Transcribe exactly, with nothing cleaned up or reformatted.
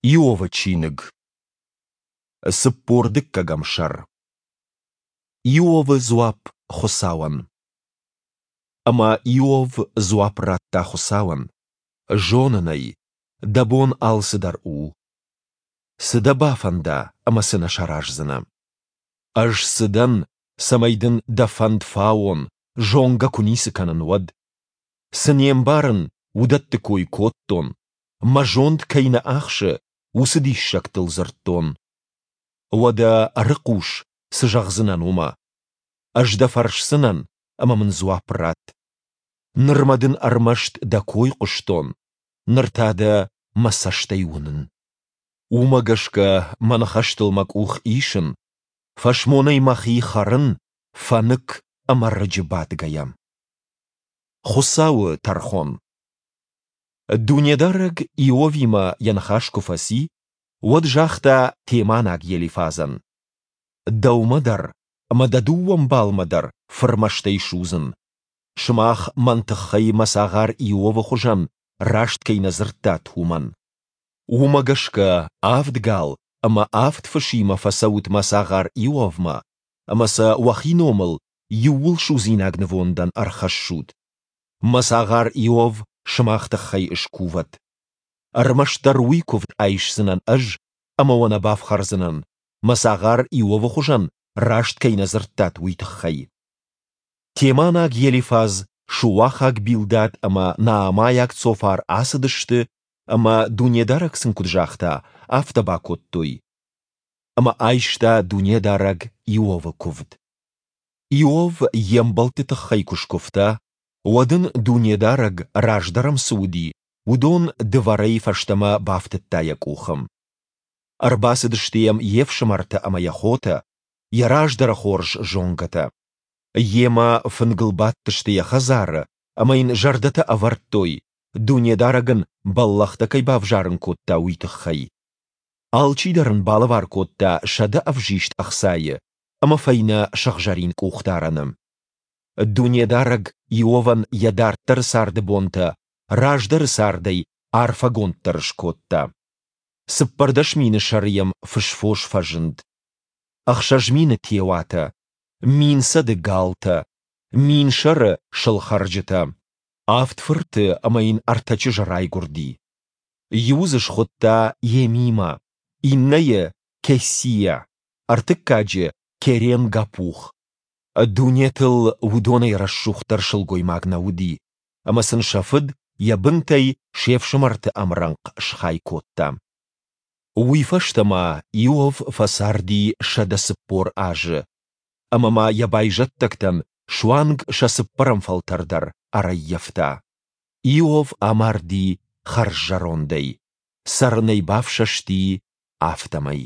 Иовы чиныг. Цыппор дыккӕгӕм сӕр. Иовы дзуапп Хуыцауӕн. Ӕмӕ Иов дзуапп радта Хуыцауӕн: Зонын ӕй, дӕ бон алцыдӕр у. Цы дӕ бафӕнда ӕмӕ цы нӕ сараздзынӕ. Ӕз цы дӕн, цӕмӕй дын дӕ фӕнд фауон, зонгӕ куы ницы кӕнын, уӕд? Цы не мбарын, уыдӕтты кой кодтон, мӕ зонд кӕй нӕ ахсы, уыцы диссӕгтыл дзырдтон. Уӕдӕ ӕрыхъус, цы зӕгъдзынӕн, уымӕ. Ӕз дӕ фӕрсдзынӕн, ӕмӕ мын дзуапп ратт. Нырмӕ дын ӕрмӕст дӕ кой хъуыстон, ныр та дӕ мӕ цӕстӕй уынын. Уымӕ гӕсгӕ мӕ ныхӕстыл мӕ къух исын, фӕсмонӕй мӕхи хӕрын, фӕнык ӕмӕ рыджы бадгӕйӕ. Хуыцауы тӕрхон. Дунедарӕг Иовимӕ йӕ ныхас куы фӕци, уӕд загъта теманаг Елифазӕн: «Дӕумӕ дӕр ӕмӕ дӕ дыууӕ мбалмӕ дӕр фырмӕстӕй судзын. Сымах мӕн тыххӕй мӕ цагъар Иовы хуызӕн раст кӕй нӕ дзырдтат, уымӕн. Уымӕ гӕсгӕ авд гал ӕмӕ авд фысимӕ фӕцӕут мӕ цагъар Иовмӕ ӕмӕ сӕ уӕхи номыл иууылсудзинаг нывондӕн ӕрхӕссут. Мӕ цагъар Иов сымах тыххӕй скувӕд. Ӕрмӕстдӕр уый куывд айсдзынӕн ӕз ӕмӕ уӕ нӕ бафхӕрдзынӕн, мӕ цагъар Иовы хуызӕн раст кӕй нӕ дзырдтат, уый тыххӕй. Теманаг Елифаз, шуахаг Билдад ӕмӕ наамайаг Цофар ацыдысты ӕмӕ, Дунедарӕг сын куыд загъта, афтӕ бакодтой. Ӕмӕ айста Дунедарӕг Иовы куывд. Иов йе мбӕлтты тыххӕй куы скуывта, уӕд ын Дунедарӕг, раздӕр ӕм цы уыди, уыдон дывӕрӕй фӕстӕмӕ бафтыдта йӕ къухы. Ӕрбацыдысты йӕм йе фсымӕртӕ ӕмӕ йӕ хотӕ, йӕ раздӕры хорз зонгӕтӕ. Йемӕ фынгыл бадтысты йӕ хӕдзары ӕмӕ йын зӕрдӕтӕ ӕвӕрдтой, Дунедарӕг ын бӕллӕхтӕ кӕй бавзарын кодта, уый тыххӕй. Алчидӕр ын балӕвар кодта сӕдӕ ӕвзист ӕхцайы ӕмӕ фӕйнӕ сыгъзӕрин къухдарӕны. Дунедарӕг Иовӕн йӕ дарддӕры царды бонтӕ раздӕры цардӕй арфӕгонддӕр скодта. Цыппӕрдӕс мины сӕры йӕм фысфос фӕзынд. Ӕхсӕз мины теуатӕ, мин цӕды галтӕ, мин сӕры сылхӕрджытӕ. Авд фырты ӕмӕ йын ӕртӕ чызджы райгуырди. Иуы дзы схуыдта Емимӕ, иннӕйы Кессия, ӕртыккаджы Керен-Гапух. Дунетыл уыдонӕй рӕсугъддӕр сылгоймаг нӕ уыди, ӕмӕ сын сӕ фыд йӕ бынтӕй се фсымӕрты ӕмрӕнхъ схай кодта. Уый фӕстӕ ма Иов фӕцарди сӕдӕ цыппор азы, ӕмӕ ма йӕ байзӕддӕгтӕн суанг сӕ цыппӕрӕм фӕлтӕр дӕр ӕрӕййӕфта. Иов амарди хӕрззӕрондӕй, цӕрынӕй бафсӕсти, афтӕмӕй.